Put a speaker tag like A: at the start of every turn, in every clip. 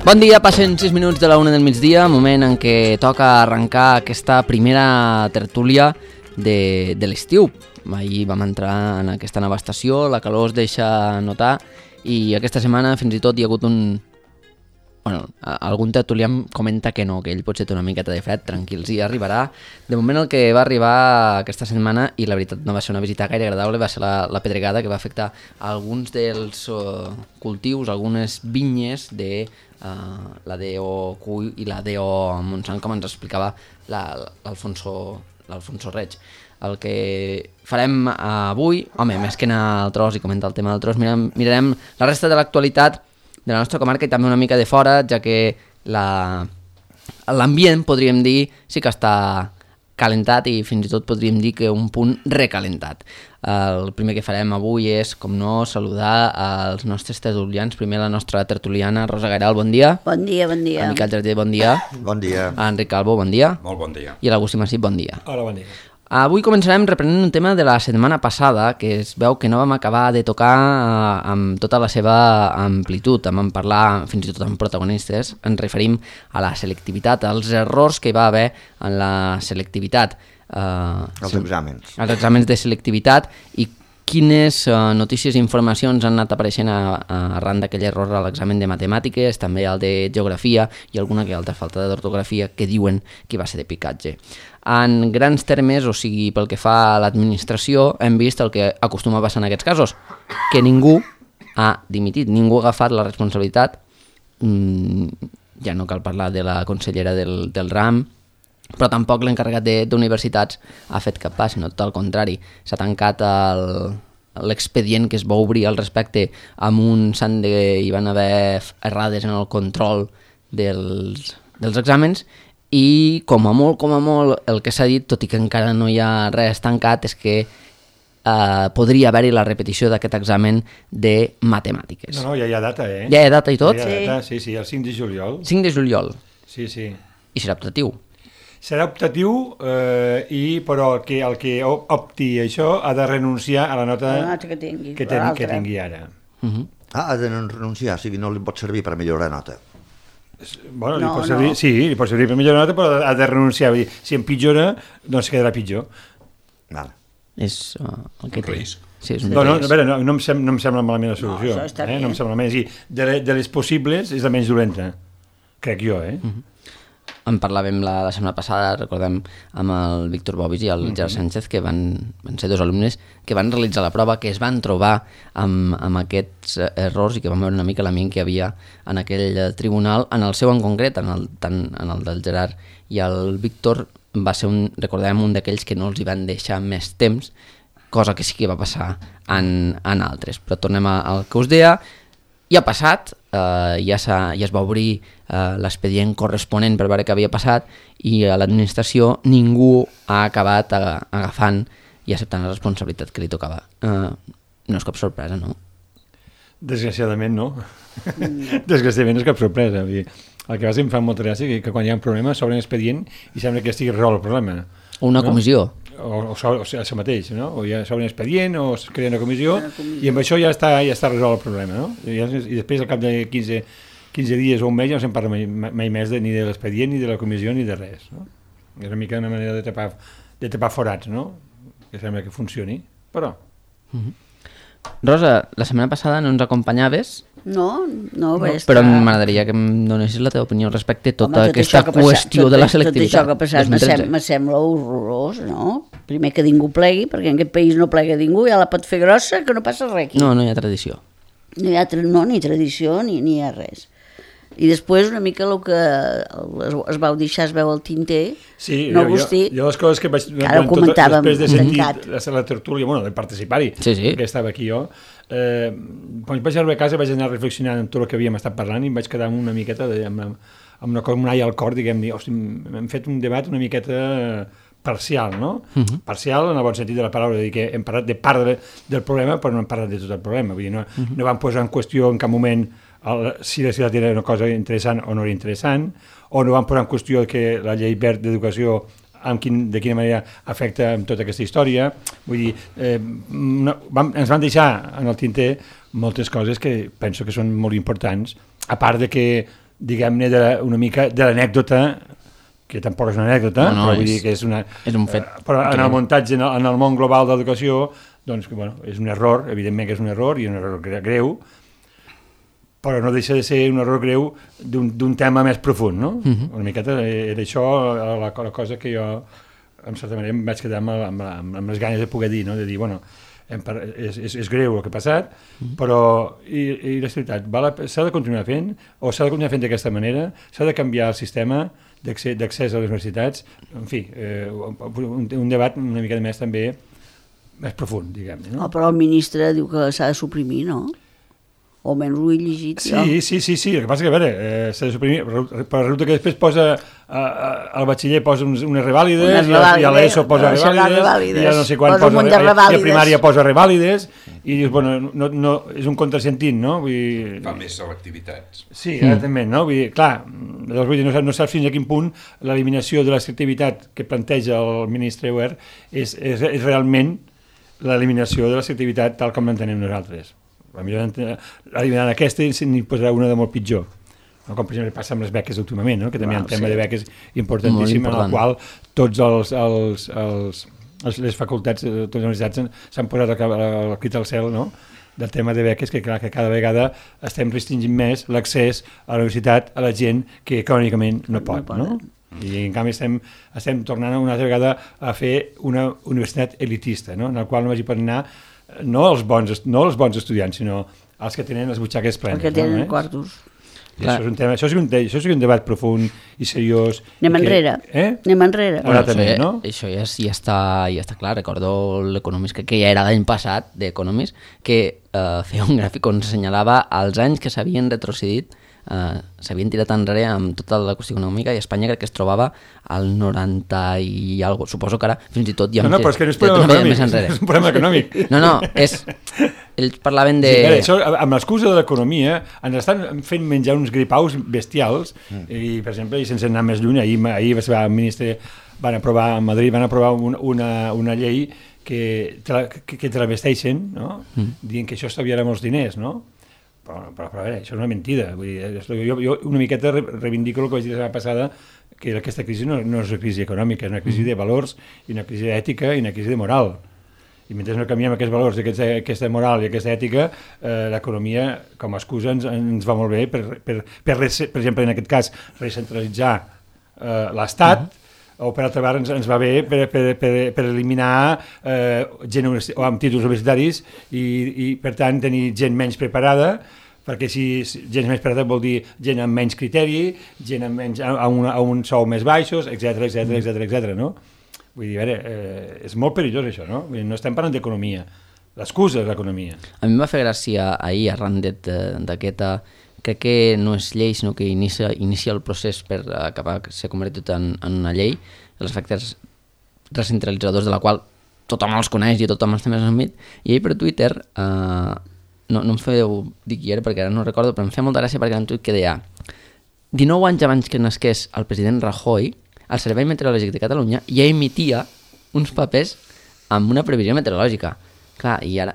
A: Bon dia, passen 6 minuts de la 1 del migdia, moment en què toca arrencar aquesta primera tertúlia de l'estiu. Ahir vam entrar en aquesta nova estació, la calor es deixa notar i aquesta setmana fins i tot hi ha hagut algun tertulià em comenta que no, que ell potser té una miqueta de fred, tranquils, i arribarà. De moment el que va arribar aquesta setmana, i la veritat no va ser una visita gaire agradable, va ser la pedregada que va afectar alguns dels cultius, algunes vinyes de la DO Cuy i la DO Montsant, com ens explicava l'Alfonso Reig. El que farem avui, més que anar al tros i comentar el tema del tros, mirarem la resta de l'actualitat de la nostra comarca i també una mica de fora, ja que l'ambient, podríem dir, sí que està calentat i fins i tot podríem dir que un punt recalentat. El primer que farem avui és, com no, saludar als nostres tertulians. Primer la nostra tertuliana, Rosa Gairal, bon dia.
B: Bon dia, bon dia.
A: A Miquel Jardí, bon dia.
C: Bon dia.
A: A Enric Calvo, bon dia.
D: Molt bon dia.
A: I a l'Agustí Massip, bon dia.
D: Hola, bon dia.
A: Avui començarem reprenent un tema de la setmana passada, que es veu que no vam acabar de tocar amb tota la seva amplitud. Vam parlar fins i tot amb protagonistes. Ens referim a la selectivitat, als errors que hi va haver en la selectivitat.
C: Els exàmens.
A: Els exàmens de selectivitat i quines notícies i informacions han anat apareixent arran d'aquell error a l'examen de matemàtiques, també al de geografia i alguna que altra falta d'ortografia que diuen que va ser de picatge. En grans termes, o sigui, pel que fa a l'administració, hem vist el que acostuma a passar en aquests casos, que ningú ha dimitit, ningú ha agafat la responsabilitat, ja no cal parlar de la consellera del RAM, però tampoc l'encarregat d'universitats ha fet cap pas, sinó tot al contrari. S'ha tancat l'expedient que es va obrir al respecte amb un sant de... hi van haver errades en el control dels exàmens i com a molt el que s'ha dit, tot i que encara no hi ha res tancat, és que podria haver-hi la repetició d'aquest examen de matemàtiques.
D: No, ja hi ha data, eh?
A: Ja hi ha data i tot?
D: Ja hi ha data, sí, el 5 de juliol.
A: 5 de juliol.
D: Sí.
A: I serà optatiu?
D: Serà optatiu, però el que opti això ha de renunciar a la nota que tingui ara.
C: Ha de renunciar, o sigui, no li pot servir per millorar nota.
D: Bueno, li pot servir, sí, li pot servir per millorar nota, però ha de renunciar. Si empitjora, doncs quedarà pitjor.
C: Vale.
A: És el que té. Sí, és un
D: risc. A veure, no em sembla malament la solució.
B: No, això està bé.
D: No em sembla malament. De les possibles és la menys dolenta, crec jo, eh?
A: En parlàvem la setmana passada, recordem, amb el Víctor Bobis i el Gerard Sánchez, que van ser dos alumnes que van realitzar la prova, que es van trobar amb aquests errors i que van veure una mica l'ambient que hi havia en aquell tribunal, en el seu en concret, tant en el del Gerard i el Víctor, va ser recordem, un d'aquells que no els hi van deixar més temps, cosa que sí que va passar en altres. Però tornem al que us deia. Ja ha passat, ja es va obrir l'expedient corresponent per veure què havia passat i a l'administració ningú ha acabat agafant i acceptant la responsabilitat que li tocava. No és cap sorpresa, no?
D: Desgraciadament no. Desgraciadament no és cap sorpresa. El que em fa molta gràcia que quan hi ha un problema s'obre un expedient i sembla que estigui resolt el problema.
A: Una comissió.
D: O això mateix, no? O ja s'obre un expedient o es crea una comissió i amb això ja està resolt el problema, no? I després al cap de 15 dies o un mes ja no se'n parla mai més ni de l'expedient, ni de la comissió, ni de res, no? És una mica una manera de tapar forats, no? Que sembla que funcioni, però...
A: Rosa, la setmana passada no ens acompanyaves.
B: No,
A: però m'agradaria que em donessis la teva opinió respecte a tota aquesta qüestió de la selectivitat.
B: Tot això que ha passat me sembla horrorós, no? Primer que ningú plegui, perquè en aquest país no plega ningú, ja la pot fer grossa, que no passa res aquí.
A: No hi ha tradició.
B: No hi ha ni tradició ni hi ha res. I després una mica el que es vau deixar, es veu al tinter,
D: sí,
B: no Agustí,
D: jo les coses que vaig...
B: Ara ho comentàvem,
D: després de sentir la tertúlia, de participar-hi, que estava aquí jo, quan vaig arribar a casa vaig anar reflexionant en tot el que havíem estat parlant i em vaig quedar amb una miqueta amb una aia al cor, diguem-ne, hem fet un debat una miqueta parcial, no? Parcial en el bon sentit de la paraula, és a dir, que hem parlat de part del problema, però no hem parlat de tot el problema. Vull dir, no vam posar en qüestió en cap moment si la ciutat era una cosa interessant o no era interessant, o no vam posar en qüestió que la llei verd d'educació de quina manera afecta amb tota aquesta història. Vull dir, ens van deixar en el tinter moltes coses que penso que són molt importants, a part de que, diguem-ne, una mica de l'anècdota, que tampoc és una anècdota, però vull dir que és
A: un fet.
D: Però en el muntatge, en el món global de l'educació, doncs, bueno, és un error, evidentment que és un error, i un error greu, però no deixa de ser un error greu d'un tema més profund, no? Una miqueta era això la cosa que jo, en certa manera, em vaig quedar amb les ganes de poder dir, no? De dir, bueno, és greu el que ha passat, però i la veritat, s'ha de continuar fent, o s'ha de continuar fent d'aquesta manera, s'ha de canviar el sistema d'accés a les universitats, en fi, un debat una mica més també més profund, diguem-ne. No?
B: Però el ministre diu que s'ha de suprimir, no? O almenys ho he llegit.
D: Sí, el que passa que, a veure, s'ha de suprimir, però resulta que després posa, al batxiller posa unes revàlides, i a l'ESO posa revàlides, i a no sé quan posa, i a primària posa revàlides, i dius, bueno, no, és un contrasentit, no? Vull dir...
E: Fa més selectivitats.
D: Sí, exactament, no? Vull dir, clar, vull dir, no saps fins a quin punt l'eliminació de la selectivitat que planteja el ministre Wert és realment l'eliminació de la selectivitat tal com l'entenem nosaltres. Eliminant aquesta n'hi posarà una de molt pitjor, no? Com per exemple passa amb les beques últimament, no? Que també hi ha un tema de beques importantíssim en el qual tots les facultats, totes les universitats s'han posat el crit al cel, no? Del tema de beques, que clar, que cada vegada estem restringint més l'accés a la universitat a la gent que econòmicament no pot, no? I en canvi estem tornant una altra vegada a fer una universitat elitista, no? En la qual només hi poden anar no els bons estudiants, sinó els que tenen les butxaques plenes.
B: Els que tenen quartos.
D: Això és un tema, això és un debat profund i seriós.
B: Anem enrere. Anem enrere.
A: Això ja està clar. Recordo l'Economist, que ja era l'any passat, d'Economist, que feia un gràfic on assenyalava els anys que s'havien retrocedit, s'havien tirat enrere amb tota la qüestió econòmica, i Espanya crec que es trobava al 90 i alguna cosa. Suposo que ara fins i tot ja
D: però és que no és un problema econòmic.
A: No, ells parlaven de...
D: Sí, això, amb l'excusa de l'economia ens estan fent menjar uns gripaus bestials i, per exemple, i sense anar més lluny, ahir el ministre van aprovar a Madrid una llei que travesteixen, no? Dient que això estalviarà molts diners, no? Però a veure, això és una mentida. Vull dir, jo una miqueta reivindico el que vaig dir la setmana passada, que aquesta crisi no és una crisi econòmica, és una crisi de valors, i una crisi ètica, i una crisi de moral. I mentre no canviem aquests valors, aquesta moral i aquesta ètica, l'economia, com a excusa, ens va molt bé per exemple, en aquest cas, recentralitzar l'Estat, o per altra part ens va bé per eliminar gent amb títols universitaris i per tant tenir gent menys preparada, perquè si gent més preparada vol dir gent amb menys criteri, gent amb un sou més baixos, etc. No? Vull dir, a veure, és molt perillós això, no? Vull dir, no estem parlant d'economia, l'excusa és l'economia.
A: A mi em va fer gràcia ahir, arran d'aquesta, crec que no és llei, sinó que inicia el procés per acabar que s'ha convertit en una llei, els efectes recentralitzadors de la qual tothom els coneix i tothom els té més enmig, i ahir per Twitter, no em feu dir qui era perquè ara no recordo, però em feia molta gràcia perquè era un tuit que deia 19 anys abans que nasqués el president Rajoy, el Servei Meteorològic de Catalunya ja emitia uns papers amb una previsió meteorològica. Clar, i ara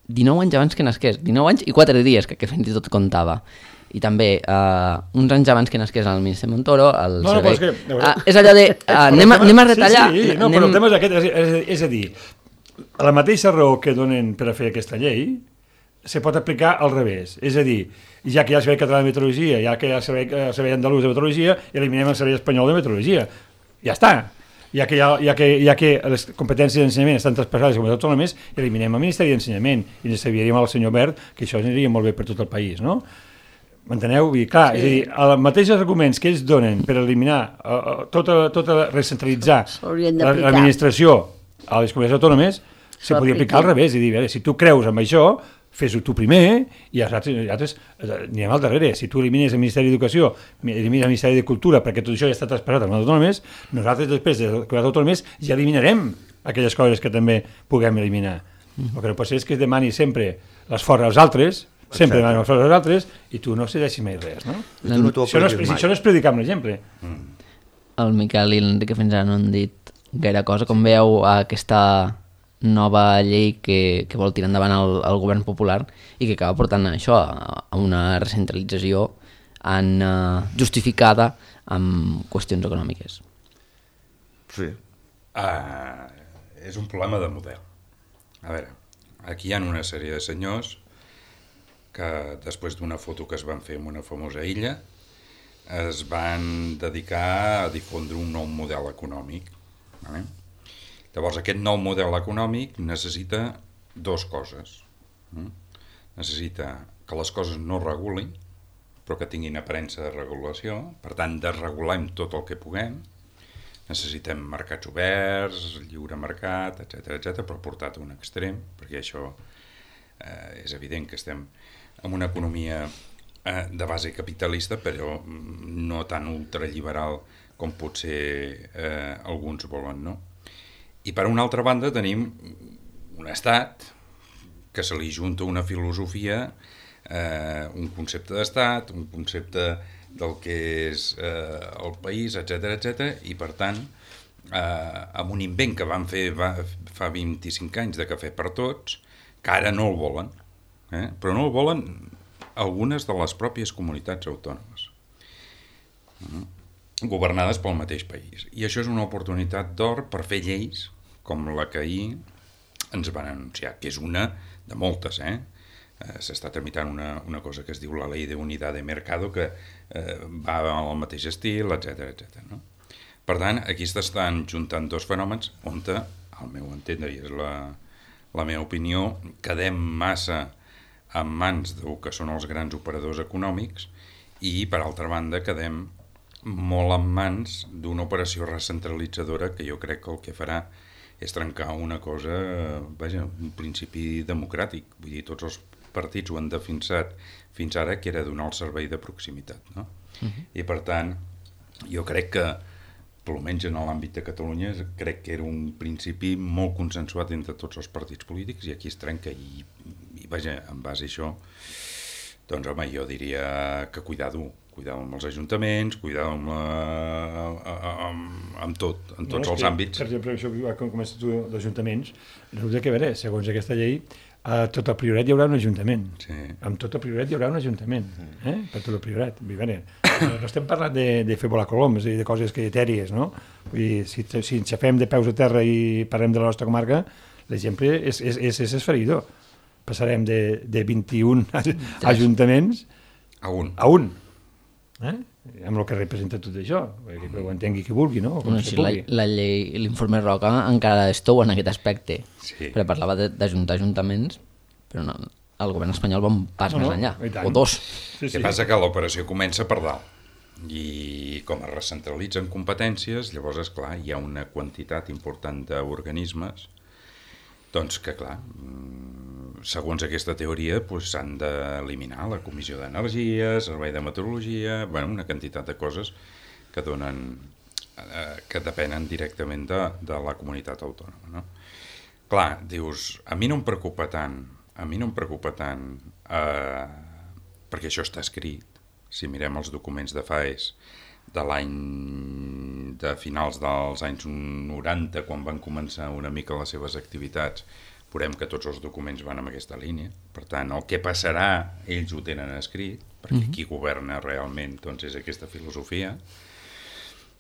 A: 19 anys abans que nasqués, 19 anys i 4 dies, que fins i tot comptava. I també, uns anys abans que nasqués el ministre Montoro, el servei... És allò de... anem a retallar...
D: Sí, però el tema és aquest, és a dir, la mateixa raó que donen per a fer aquesta llei se pot aplicar al revés. És a dir, ja que hi ha el Servei Català de Meteorologia, ja que hi ha el Servei Andalús de Meteorologia, eliminem el Servei Espanyol de Meteorologia. Ja està. Ja que les competències d'ensenyament estan traspassades a comunitats autònomes, eliminem el Ministeri d'Ensenyament i ens serviríem al senyor Wert, que això aniria molt bé per tot el país, no? M'enteneu? I clar, és a dir, els mateixos arguments que ells donen per eliminar recentralitzar l'administració a les comunitats autònomes se podria aplicar al revés, i dir, si tu creus en això, fes-ho tu primer i els altres anirem al darrere. Si tu elimines el Ministeri d'Educació, elimines el Ministeri de Cultura, perquè tot això ja està traspassat a les autònomes, nosaltres després de les autònomes ja eliminarem aquelles coses que també puguem eliminar. El que no pot ser és que es demani sempre l'esforç als altres, sempre demanem l'esforç als altres, i tu no cedeixis mai res, no? Això no és predicar amb l'exemple.
A: El Miquel i l'Enrique fins ara no han dit gaire cosa. Com veieu aquesta nova llei que vol tirar endavant el govern popular i que acaba portant això a una recentralització justificada amb qüestions econòmiques?
C: Sí.
E: És un problema de model. A veure, aquí hi ha una sèrie de senyors que després d'una foto que es van fer en una famosa illa es van dedicar a difondre un nou model econòmic. Vale? Llavors, aquest nou model econòmic necessita dues coses. Necessita que les coses no regulin, però que tinguin aparença de regulació. Per tant, desregulem tot el que puguem. Necessitem mercats oberts, lliure mercat, etc, però portat a un extrem, perquè això és evident que estem en una economia de base capitalista, però no tan ultraliberal com potser alguns volen, no? I per una altra banda tenim un estat que se li junta una filosofia, un concepte d'estat, un concepte del que és el país, etc, i per tant, amb un invent que van fer fa 25 anys de cafè per tots, que ara no el volen, però no el volen algunes de les pròpies comunitats autònomes, governades pel mateix país. I això és una oportunitat d'or per fer lleis com la que ahir ens van anunciar, que és una de moltes, s'està tramitant una cosa que es diu la Ley de Unidad de Mercado, que va al mateix estil, etc, no? Per tant, aquí s'estan juntant dos fenòmens on, al meu entendre, i és la meva opinió, quedem massa en mans del que són els grans operadors econòmics i, per altra banda, quedem molt en mans d'una operació recentralitzadora que jo crec que el que farà és trencar una cosa, un principi democràtic. Vull dir, tots els partits ho han defensat fins ara, que era donar el servei de proximitat, no? I per tant, jo crec que, almenys en l'àmbit de Catalunya, crec que era un principi molt consensuat entre tots els partits polítics i aquí es trenca i en base a això, doncs home, jo diria que cuidado amb els ajuntaments, cuidado amb tot, en tots els àmbits.
D: Per exemple, això com comences tu d'ajuntaments, resulta que, a veure, segons aquesta llei, a tot el Priorat hi haurà un ajuntament. Sí. Amb tot el Priorat hi haurà un ajuntament, per tot el Priorat. No estem parlant de fer volar coloms i de coses etèries, no? Vull dir, si ens xafem de peus a terra i parlem de la nostra comarca, l'exemple és esfereïdor. Passarem de 21 ajuntaments a un. Amb el que representa tot això, perquè ho entengui qui vulgui, no?
A: La llei, l'informe Roca encara estou en aquest aspecte, perquè parlava d'ajuntar ajuntaments, però no, el govern espanyol va un pas més enllà, o dos.
E: El que passa que l'operació comença per dalt i com es recentralitzen competències, llavors, esclar, hi ha una quantitat important d'organismes doncs que, clar, segons aquesta teoria, s'han d'eliminar la Comissió d'Energia, Servei de Meteorologia, una quantitat de coses que que depenen directament de la comunitat autònoma, no? Clar, dius, a mi no em preocupa tant, perquè això està escrit, si mirem els documents de FAES de finals dels anys 90, quan van començar una mica les seves activitats, veurem que tots els documents van en aquesta línia. Per tant, el que passarà, ells ho tenen escrit, perquè qui governa realment doncs, és aquesta filosofia.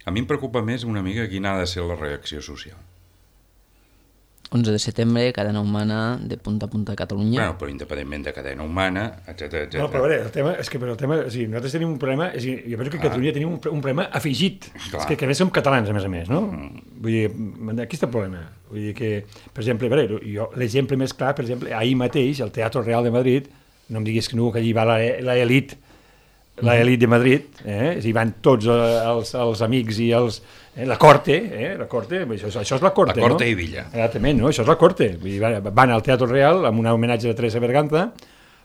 E: A mi em preocupa més una mica quina ha de ser la reacció social.
A: 11 de setembre, cadena humana de punta a punta de Catalunya.
E: Bueno, però independentment de cadena humana, etc.
D: No, però a veure, nosaltres tenim un problema, jo penso que a Catalunya tenim un problema afegit, és que a més som catalans, a més, no? Vull dir, aquí està el problema. Vull dir que, per exemple, l'exemple més clar, per exemple, ahir mateix, al Teatre Real de Madrid, no em diguis que no, que allí va l'elit l'elit de Madrid, hi van tots els amics i la corte, això és la corte,
E: La corte
D: no?
E: i Villa.
D: Exactament, no? Això és la corte. Vull dir, van al Teatre Real amb un homenatge de Teresa Berganza,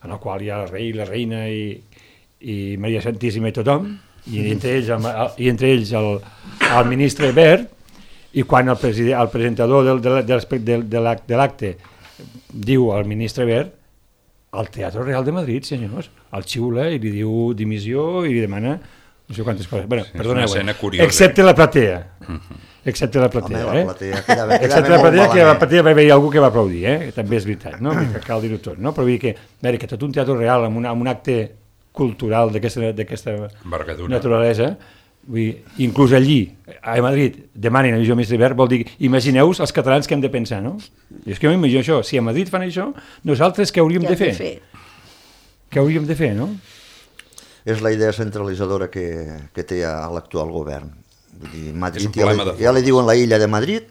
D: en el qual hi ha el rei, la reina i Maria Santíssima i tothom, i entre ells el ministre Wert, i quan el presentador de l'acte diu al ministre Wert, al Teatre Real de Madrid, senyors, el xiula i li diu dimissió i li demana no sé quantes coses. Bueno, perdoneu, excepte la platea. Excepte la platea,
C: Home, la platea
D: excepte la platea, que la platea va haver algú que va aplaudir, també és veritat, no? Que cal dir-ho tot, no? Però vull dir que tot un teatre real amb un acte cultural d'aquesta naturalesa, vull dir, inclús allí, a Madrid, demanen a Visió Ministre Wert, vol dir, imagineu-vos els catalans que hem de pensar, no? I és que jo m'imagino això, si a Madrid fan això, nosaltres què hauríem de fer? Què hauríem de fer, no?
C: És la idea centralitzadora que té l'actual govern. Vull dir, Madrid,
E: ja
C: li diuen la illa de Madrid,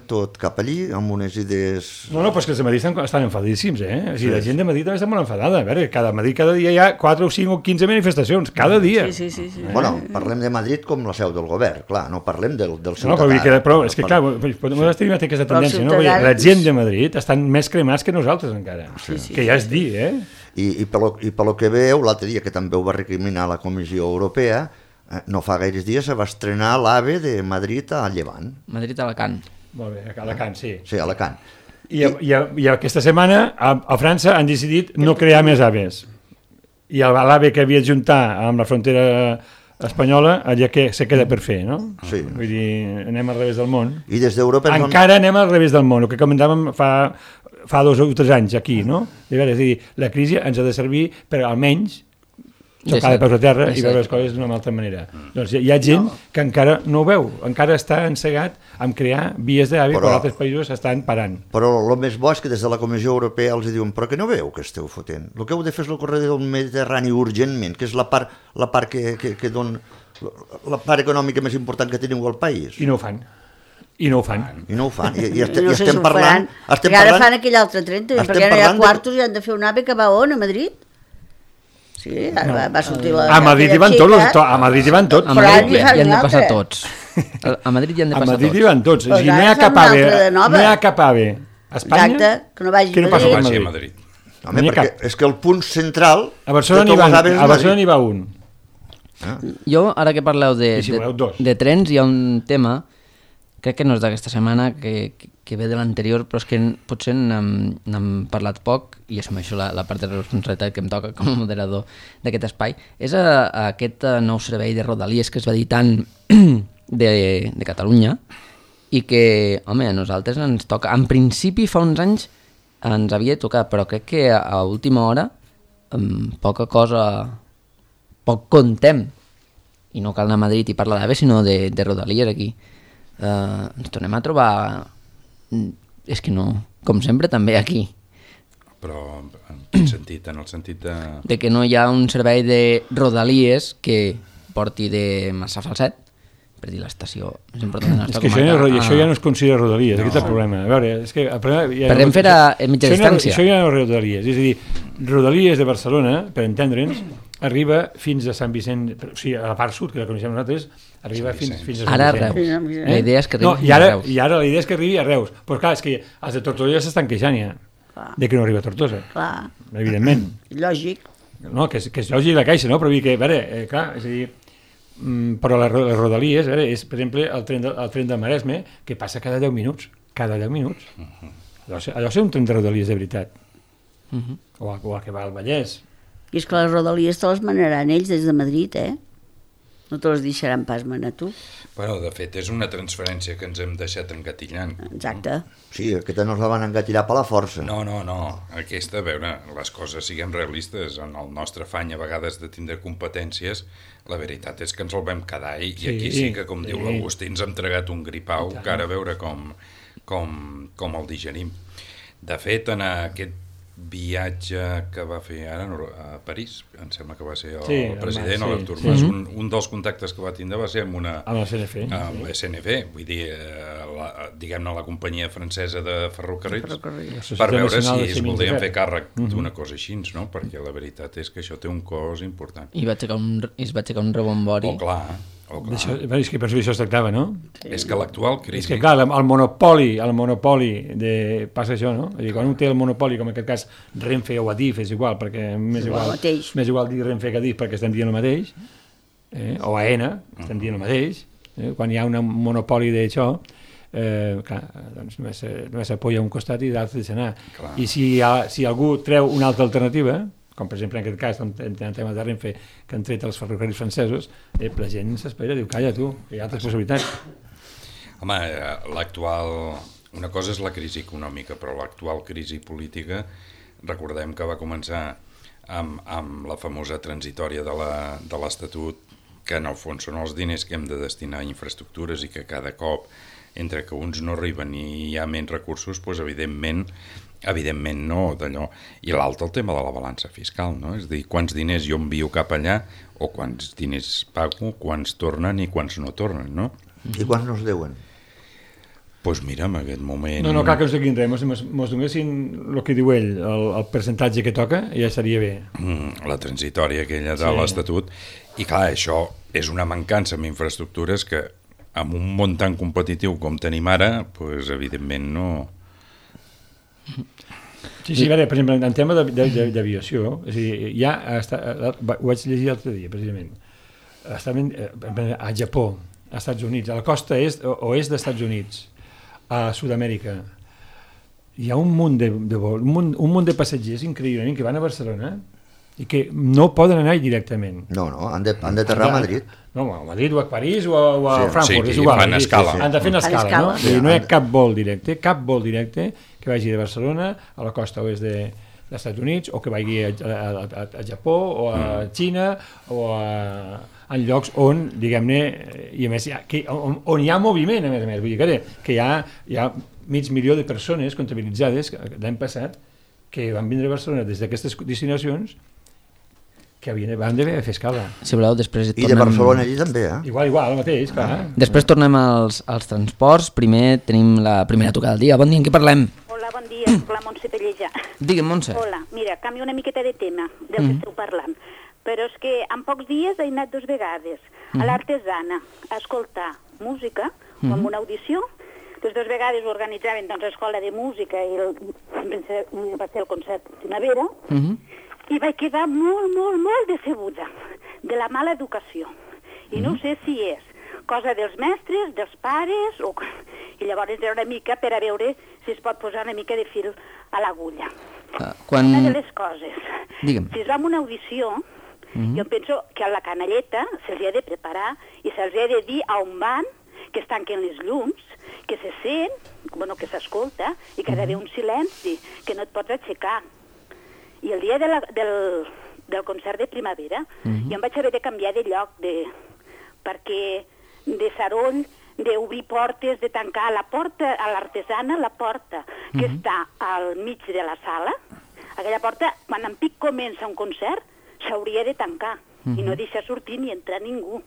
C: tot cap allí, amb unes idees...
D: No, però és que els de Madrid estan enfadíssims, O sigui, la gent de Madrid també està molt enfadada. A veure, cada dia hi ha 4 o 5 o 15 manifestacions, cada dia.
B: Sí.
C: Bueno, parlem de Madrid com la seu del govern, clar, no parlem del ciutadà.
D: No, però és que, clar, nosaltres tenim aquesta tendència, no? La gent de Madrid estan més cremats que nosaltres encara, que ja és dir,
C: I pel que veu, l'altre dia, que també ho va recriminar la Comissió Europea, no fa gaires dies se va estrenar l'AVE de Madrid a Llevant.
A: Madrid a Alacant.
D: Molt bé, a Alacant, sí.
C: Sí, a Alacant.
D: I aquesta setmana a França han decidit no crear més AVEs. I l'AVE que havia d'ajuntar amb la frontera espanyola, allà que se queda per fer, no?
C: Sí.
D: Vull dir, anem al revés del món.
C: I des d'Europa...
D: Encara anem al revés del món, el que comentàvem fa 2 o 3 anys aquí, no? És a dir, la crisi ens ha de servir per almenys tocar de peus a terra i veure les coses d'una altra manera. Doncs hi ha gent que encara no ho veu, encara està encegat en crear vies d'AVE quan altres països estan parant.
C: Però el més bo és que des de la Comissió Europea els diuen però que no veu que esteu fotent. El que heu de fer és el corredor del Mediterrani urgentment, que és la part que dona la part econòmica més important que teniu al país.
D: I no ho fan. I no ho fan.
C: I estem parlant...
B: Perquè ara fan aquell altre tren, perquè no hi ha quartos i han de fer un AVE que va on, a Madrid? Sí, va sortir la...
D: A Madrid hi van tots, a Madrid hi van tots.
A: A Madrid hi han de passar tots. A Madrid hi han de passar tots.
D: A Madrid hi van tots. No hi ha cap AVE a Espanya.
B: Exacte, que no vagi
E: a Madrid.
C: Home, perquè és que el punt central...
D: A Barcelona n'hi va un.
A: Jo, ara que parleu de trens, hi ha un tema, crec que no és d'aquesta setmana, que ve de l'anterior, però és que potser n'hem parlat poc, i assumeixo la part de responsabilitat que em toca com a moderador d'aquest espai, és aquest nou servei de Rodalies que es va dir tant de Catalunya, i que, home, a nosaltres ens toca, en principi fa uns anys ens havia tocat, però crec que a última hora poca cosa, poc contem, i no cal anar a Madrid i parlar d'AVE, sinó de Rodalies aquí. Ens tornem a trobar, és que no, com sempre també aquí.
E: Però en quin sentit? En el sentit
A: de que no hi ha un servei de Rodalies que porti de Massafalset, per dir l'estació més important de la nostra comarca.
D: Això ja no es considera Rodalies, aquest és el problema. A veure, és que...
A: Per Renfe a mitja distància.
D: Això ja no és Rodalies, és a dir, Rodalies de Barcelona, per entendre'ns, arriba fins a Sant Vicent, o sigui, a la part sud, que la coneixem nosaltres, arriba fins a Sant Vicent.
A: Ara a Reus. La idea és que arribi a Reus.
D: I ara la idea és que arribi a Reus. Però clar, és que els de Tortosa s'estan queixant ja, de que no arriba a Tortosa.
B: Clar.
D: Evidentment.
B: Lògic.
D: No, que és lògic la caixa, no? Però vull dir que, a veure, clar, és a dir, però les Rodalies, és, per exemple, el tren del Maresme, que passa cada 10 minuts. Cada 10 minuts. Allò és un tren de Rodalies de veritat. O el que va al Vallès.
B: I és que les Rodalies te les manaran ells des de Madrid, No te les deixaran pas manar tu.
E: Bueno, de fet, és una transferència que ens hem deixat engatillant.
B: Exacte.
C: Sí, aquesta no la van engatillar per la força.
E: No. Aquesta, a veure, les coses, siguem realistes, en el nostre afany a vegades de tindre competències, la veritat és que ens el vam quedar i aquí sí que, com diu l'Agustí, ens hem tragat un gripau, que ara a veure com el digerim. De fet, en aquest viatge que va fer ara a París, em sembla que va ser el president, l'Artur Mas, un dels contactes que va tindre va ser amb
D: el CNF.
E: Amb la SNF, vull dir, diguem-ne, la companyia francesa de ferrocarrils, per veure si es voldrien fer càrrec d'una cosa així, no? Perquè la veritat és que això té un cost important.
A: I es va aixecar un rebombori.
E: Clar.
D: És que per això es tractava, no?
E: És que l'actual crisi...
D: És que, clar, el monopoli passa això, no? És dir, quan un té el monopoli, com en aquest cas Renfe o Adif, és igual, perquè més igual dir Renfe que Adif perquè estem dient el mateix, o AENA, estem dient el mateix, quan hi ha un monopoli d'això, clar, doncs només s'apoya a un costat i l'altre deixa anar. I si algú treu una altra alternativa, com per exemple en aquest cas, en temes de Renfe, que han tret els ferrocarrils francesos, la gent s'espera, diu, calla tu, que hi ha altres possibilitats.
E: Home, una cosa és la crisi econòmica, però l'actual crisi política, recordem que va començar amb la famosa transitòria de l'Estatut, que en el fons són els diners que hem de destinar a infraestructures i que cada cop, entre que uns no arriben i hi ha menys recursos, doncs evidentment no d'allò. I l'altre, el tema de la balança fiscal, no? És a dir, quants diners jo envio cap allà o quants diners pago, quants tornen i quants no tornen, no?
C: I quants no es deuen?
E: Doncs mira, en aquest moment...
D: No cal que ens diguin res, mos donessin el que diu ell, el percentatge que toca, ja seria bé.
E: La transitòria aquella de l'Estatut. I clar, això és una mancança en infraestructures que amb un món tan competitiu com tenim ara, doncs evidentment no...
D: Sí, a veure, per exemple, en tema d'aviació, és a dir, ho vaig llegir l'altre dia, precisament, estaven a Japó, als Estats Units, a la costa oest dels Estats Units, a Sud-amèrica, hi ha un munt de passatgers increïblement que van a Barcelona i que no poden anar directament.
C: No, han d'aterrar a Madrid.
D: No, a Madrid o a París o a Frankfurt, és igual.
E: Fan escala.
D: Han de fer una escala, no? No hi ha cap vol directe que vagi de Barcelona a la costa oest dels Estats Units o que vagi a Japó o a Xina o en llocs on, diguem-ne, i a més, on hi ha moviment, a més, vull dir que hi ha mig milió de persones comptabilitzades l'any passat que van vindre a Barcelona des d'aquestes destinacions que van d'haver de fer escala.
A: Si voleu, després
C: I de Barcelona allí també,
D: Igual, el mateix, clar.
A: Després tornem als transports. Primer tenim la primera tocada del dia. Bon dia, en què parlem?
F: Hola, bon dia, soc la Montse Pellejà.
A: Digue'm, Montse.
F: Hola, mira, canvio una miqueta de tema del que esteu parlant, però és que en pocs dies he anat 2 vegades a l'Artesana a escoltar música, amb una audició. Les 2 vegades ho organitzaven l'Escola de Música i va ser el concert Primavera, i vaig quedar molt decebuda de la mala educació. I no sé si és cosa dels mestres, dels pares, i llavors era una mica per a veure si es pot posar una mica de fil a l'agulla. Una de les coses, si es va amb una audició, jo penso que a la canalleta se'ls ha de preparar i se'ls ha de dir a on van, que es tanquen les llums, que se sent, que s'escolta, i que ha d'haver un silenci, que no et pots aixecar. I el dia del concert de Primavera, jo em vaig haver de canviar de lloc, perquè de Saroll, d'obrir portes, de tancar la porta a l'Artesana, la porta que està al mig de la sala, aquella porta, quan en pic comença un concert, s'hauria de tancar i no deixar sortir ni entrar ningú,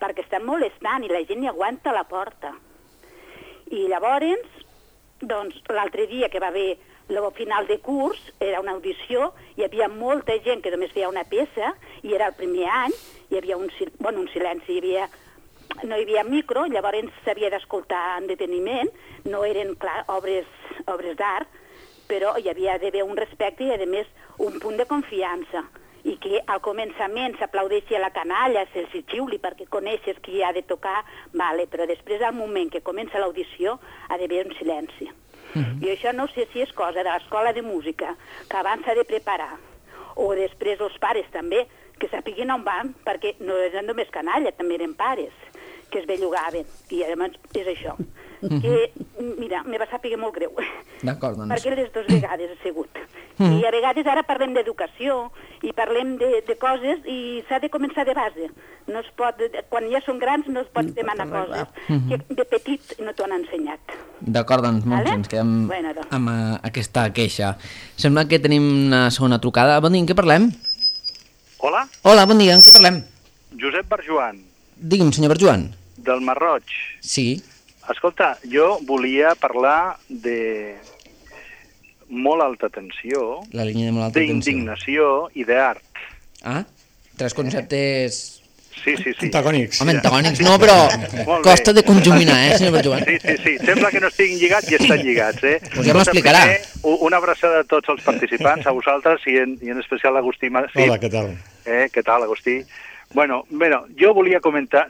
F: perquè estan molestant i la gent ni aguanta la porta. I llavors, doncs, l'altre dia que va haver el final de curs, era una audició, hi havia molta gent que només feia una peça, i era el primer any, hi havia un silenci, no hi havia micro, llavors s'havia d'escoltar en deteniment, no eren, clar, obres d'art, però hi havia d'haver un respecte i, a més, un punt de confiança, i que al començament s'aplaudeixi a la canalla, se'ls xiuli perquè coneixes qui ha de tocar, vale, però després, al moment que comença l'audició, ha d'haver un silenci. I això no sé si és cosa de l'escola de música, que abans s'ha de preparar, o després els pares també, que sapiguin on van, perquè no eren només canalla, també eren pares, que es bellugaven, i llavors és això. que, mira, me va saber molt greu.
A: D'acord, doncs.
F: Perquè les 2 vegades ha sigut. I a vegades ara parlem d'educació i parlem de coses i s'ha de començar de base. No es pot, quan ja són grans no es pot demanar coses que de petit no t'ho han ensenyat.
A: D'acord, doncs,
F: Vale?
A: ens quedem
F: Bueno, doncs.
A: amb aquesta queixa. Sembla que tenim una segona trucada. Bon dia, en què parlem?
G: Hola,
A: Hola, bon dia, en què parlem?
G: Josep Barjoan,
A: Digui'm, senyor Berjoan.
G: del Marroig.
A: Sí.
G: Escolta, jo volia parlar de molt alta tensió,
A: La línia de molt alta tensió.
G: d'indignació i d'art.
A: Ah, 3 conceptes...
G: Sí, sí, sí.
D: Antagònics.
A: Home, antagònics no, però
G: Molt
A: costa
G: bé.
A: de conjuminar, senyor Berjoan?
G: Sí, sí, sí. Sembla que no estiguin lligats i estan lligats,
A: Pues ja m'ho explicarà.
G: Primer, una abraçada a tots els participants, a vosaltres i en especial a Agustí Masip.
D: Hola, què tal?
G: Què tal, Agustí? Bueno, jo volia comentar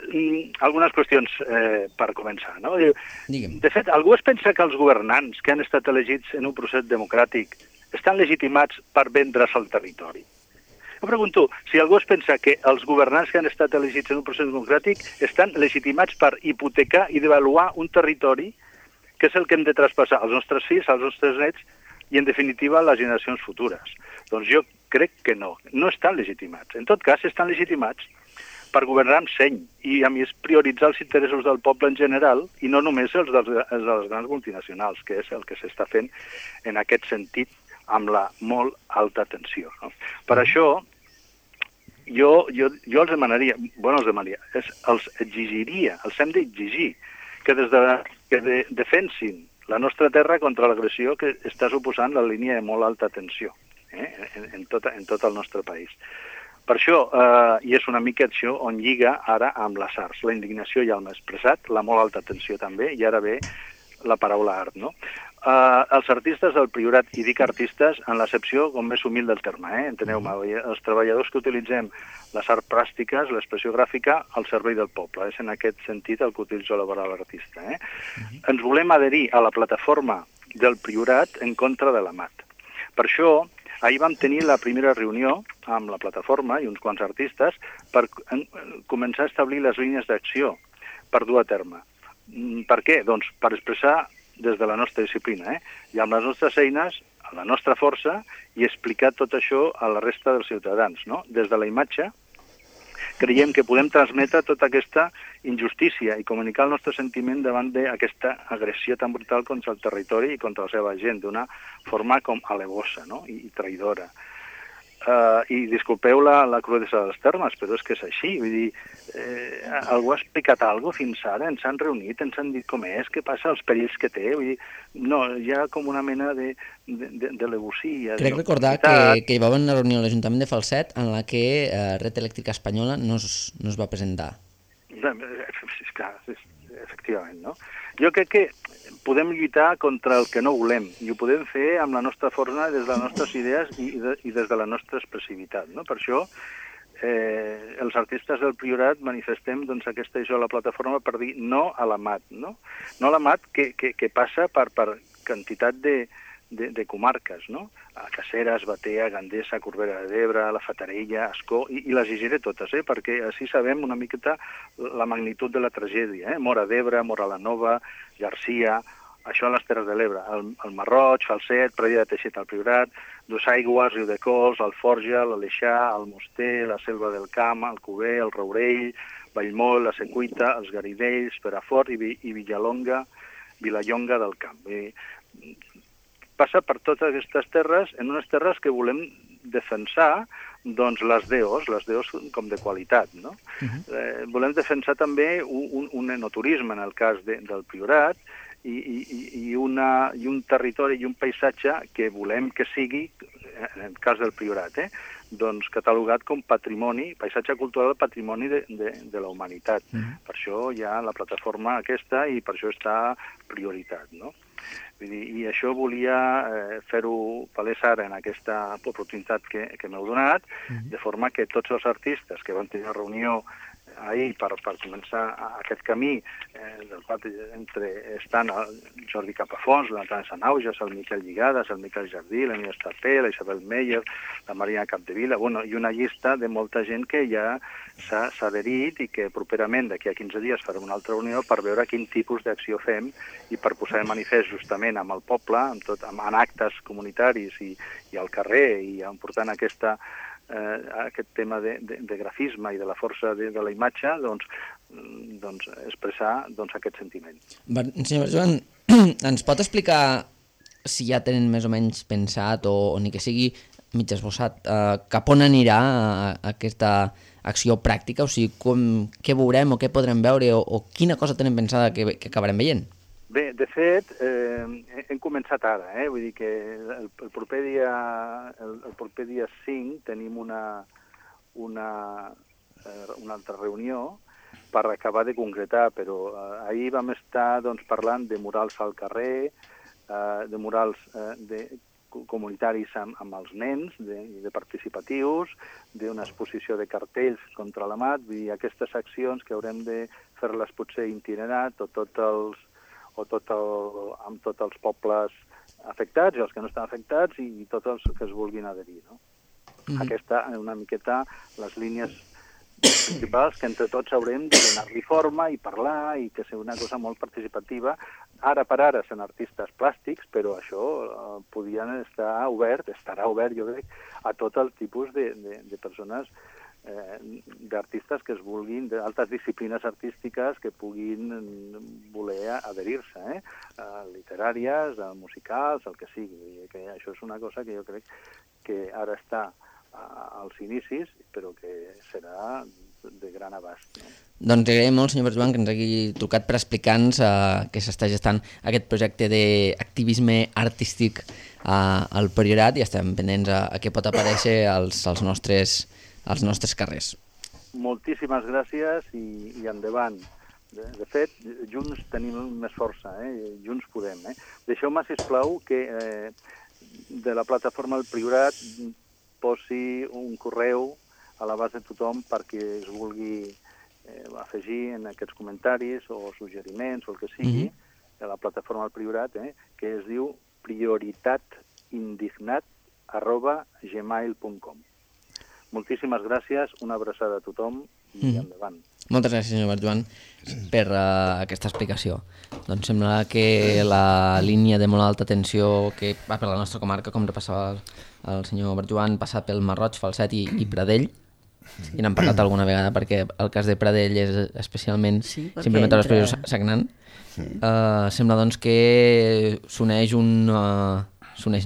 G: algunes qüestions per començar, no?
A: Digue'm.
G: De fet, algú es pensa que els governants que han estat elegits en un procés democràtic estan legitimats per vendre's el territori. Jo pregunto, si algú es pensa que els governants que han estat elegits en un procés democràtic estan legitimats per hipotecar i devaluar un territori que és el que hem de traspassar als nostres fills, als nostres nets i, en definitiva, a les generacions futures. Doncs jo crec que no estan legitimats. En tot cas, estan legitimats per governar amb seny i, a més, prioritzar els interessos del poble en general i no només els de les grans multinacionals, que és el que s'està fent en aquest sentit amb la molt alta tensió. No? Per això, jo els demanaria, els exigiria, els hem d'exigir que defensin la nostra terra contra l'agressió que està suposant la línia de molt alta tensió en tot el nostre país. Per això, i és una mica això on lliga ara amb les arts. La indignació ja l'hem expressat, la molt alta tensió també, i ara ve la paraula art, no? Els artistes del Priorat, i dic artistes en l'accepció com més humil del terme, enteneu-me, els treballadors que utilitzem les arts plàstiques, l'expressió gràfica, al servei del poble. És en aquest sentit el que utilitzo la paraula artista. Ens volem adherir a la plataforma del Priorat en contra de la MAT. Per això, ahir vam tenir la primera reunió amb la plataforma i uns quants artistes per començar a establir les línies d'acció per dur a terme. Per què? Doncs per expressar des de la nostra disciplina, i amb les nostres eines, la nostra força, i explicar tot això a la resta dels ciutadans. No? Des de la imatge, creiem que podem transmetre tota aquesta injustícia i comunicar el nostre sentiment davant d'aquesta agressió tan brutal contra el territori i contra la seva gent, d'una forma com alevosa, no? I traïdora. I disculpeu la crudesa dels termes, però és que és així. Vull dir, algú ha explicat alguna cosa fins ara? Ens han reunit, ens han dit com és, què passa, els perills que té? Vull dir, no, hi ha com una mena de legosia.
A: Crec recordar que hi va haver una reunió a l'Ajuntament de Falset en la que Red Elèctrica Espanyola no es va presentar.
G: Efectivament, no? Jo crec que podem lluitar contra el que no volem i ho podem fer amb la nostra força, des de les nostres idees i des de la nostra expressivitat, no? Per això els artistes del Priorat manifestem aquesta a la plataforma per dir no a la MAT, no? No a la MAT que passa per quantitat de comarques, no? A Caceres, Batea, Gandesa, Corbera d'Ebre, la Fatarella, Ascó, i les llegiré totes, perquè així sabem una miqueta la magnitud de la tragèdia. Móra d'Ebre, Móra la Nova, Garcia, això a les Terres de l'Ebre, el Marroig, Falset, Pradilla de Teixeta al Priorat, Dosaigües, Riudecols, Alforja, l'Aleixar, el Moster, la Selva del Camp, el Cuber, el Rourell, Vallmoll, la Secuita, els Garidells, Perafort i Vilallonga del Camp. Passa per totes aquestes terres, en unes terres que volem defensar doncs les DOs com de qualitat, no? Volem defensar també un enoturisme, en el cas del Priorat, i un territori i un paisatge que volem que sigui, en el cas del Priorat, doncs catalogat com patrimoni, paisatge cultural, patrimoni de la humanitat. Per això hi ha la plataforma aquesta i per això està prioritat, no? I això volia fer-ho palès ara en aquesta oportunitat que m'heu donat, de forma que tots els artistes que van tenir una reunió ahir per començar aquest camí del pati estan el Jordi Capafons, la Natàlia Sanauges, el Miquel Lligades, el Miquel Jardí, la Nina Estapé, la Isabel Meyer, la Maria Capdevila, i una llista de molta gent que ja s'ha adherit i que properament, d'aquí a 15 dies, farem una altra reunió per veure quin tipus d'acció fem i per posar de manifest justament amb el poble, en actes comunitaris i al carrer, i portant aquest tema de grafisme i de la força de la imatge, doncs expressar aquest sentiment.
A: Senyor Joan, ens pot explicar si ja tenen més o menys pensat o ni que sigui mig esbossat cap on anirà aquesta acció pràctica? O sigui, què veurem o què podrem veure o quina cosa tenen pensada que acabarem veient?
G: Bé, de fet, hem començat ara, vull dir que el proper dia 5 tenim una altra reunió per acabar de concretar, però ahir vam estar parlant de murals al carrer, de murals comunitaris amb els nens, de participatius, d'una exposició de cartells contra l'amat, vull dir, aquestes accions que haurem de fer-les potser itinerat amb tots els pobles afectats i els que no estan afectats i tots els que es vulguin adherir. No? Aquesta, una miqueta, les línies principals que entre tots haurem de donar-li forma i parlar i que sigui una cosa molt participativa. Ara per ara són artistes plàstics, però això podien estarà obert, jo crec, a tot el tipus de persones, d'artistes que es vulguin, d'altres disciplines artístiques que puguin voler adherir-se, literàries, musicals, el que sigui. Que això és una cosa que jo crec que ara està als inicis, però que serà de gran abast. No?
A: Doncs agraïm molt, senyor Berjoan, que ens hagi trucat per explicar-nos que s'està gestant aquest projecte d'activisme artístic al Priorat i estem pendents a què pot aparèixer als nostres carrers.
G: Moltíssimes gràcies i endavant. De fet, junts tenim més força, junts podem. Deixeu-me, sisplau, que de la plataforma del Priorat posi un correu a l'abast de tothom perquè es vulgui afegir en aquests comentaris o suggeriments o el que sigui de la plataforma del Priorat, que es diu prioritatindignat@gmail.com. Moltíssimes gràcies, una abraçada a tothom i endavant.
A: Moltes gràcies, senyor Berjoan, per aquesta explicació. Doncs sembla que la línia de molt alta tensió que va per la nostra comarca, com repassava el senyor Berjoan, passa pel Masroig, Falset i Pradell, i n'hem parlat alguna vegada perquè el cas de Pradell és especialment simplement a l'exposició sagnant. Sembla doncs que s'uneixen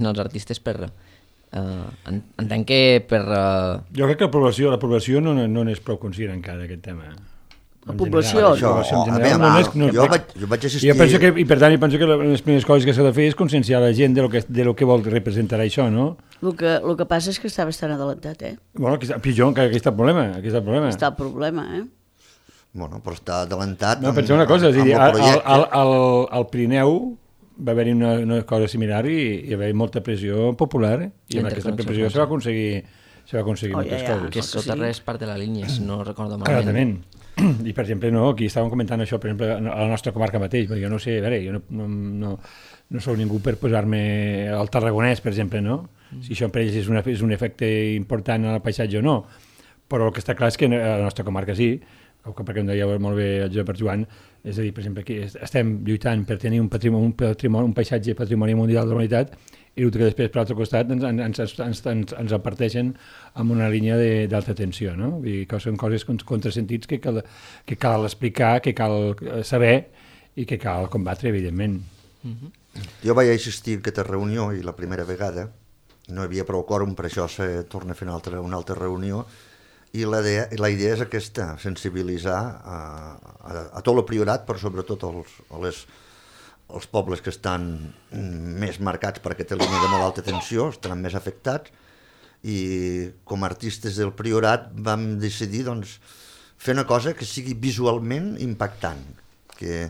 A: els artistes per... entenc que per...
D: Jo crec que la població no n'és prou conscient encara d'aquest tema.
B: La població?
C: Jo vaig assistir...
D: I per tant, penso que les primeres coses que s'ha de fer és conscienciar la gent de lo que vol representar això, no?
B: El que passa és que està bastant adelantat,
D: Bueno, pitjor, encara aquí està el problema.
B: Està el problema,
C: Bueno, però està adelantat...
D: No, penseu una cosa, és a dir, al Pirineu va haver-hi una cosa similar i va haver molta pressió popular i amb aquesta pressió se va aconseguir moltes coses.
A: Que Soterra és part de la línia, si no recordo malament.
D: Clarament. I, per exemple, aquí estàvem comentant això, per exemple, a la nostra comarca mateix, perquè jo no sé, a veure, jo no sóc ningú per posar-me al Tarragonès, per exemple, no? Si això per ells és un efecte important en el paisatge o no. Però el que està clar és que a la nostra comarca sí, perquè em deia molt bé el Josep Berjoan, és a dir, per exemple, aquí estem lluitant per tenir un paisatge patrimoni mundial de la humanitat i el que després, per l'altre costat, ens aparteixen amb una línia d'alta tensió, no? Vull dir que són coses contrasentits que cal explicar, que cal saber i que cal combatre, evidentment.
C: Jo vaig assistir a aquesta reunió i la primera vegada no hi havia prou quòrum, per això se torna a fer una altra reunió. I la idea és aquesta, sensibilitzar a tot el Priorat, però sobretot els pobles que estan més marcats per aquesta línia de molt alta tensió, estaran més afectats, i com a artistes del Priorat vam decidir fer una cosa que sigui visualment impactant, i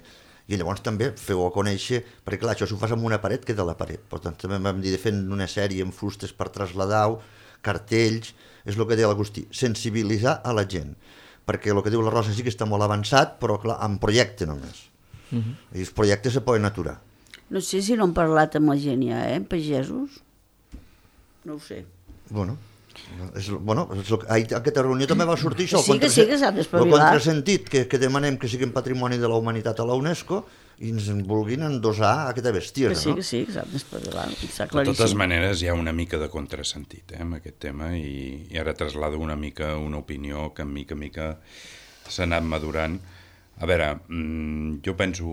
C: llavors també feu-ho a conèixer, perquè clar, això si ho fas amb una paret queda a la paret, per tant també vam dir de fer una sèrie amb fustes per traslladar-ho, cartells, és el que deia l'Agustí, sensibilitzar a la gent, perquè el que diu la Rosa sí que està molt avançat, però clar, en projecte només. I els projectes se poden aturar.
B: No sé si no han parlat amb la gent ja, pagesos? No ho sé.
C: Bueno, a aquesta reunió també va sortir això,
B: Sí que s'ha d'espavilar.
C: el contrasentit, que demanem que siguin patrimoni de la humanitat a la UNESCO i ens vulguin endosar aquesta bestiesa, no?
B: Que sí, que s'ha d'espavilar, està
E: De
B: claríssim.
E: totes maneres, hi ha una mica de contrasentit amb aquest tema i ara traslado una mica una opinió que mica en mica s'ha anat madurant. A veure, jo penso,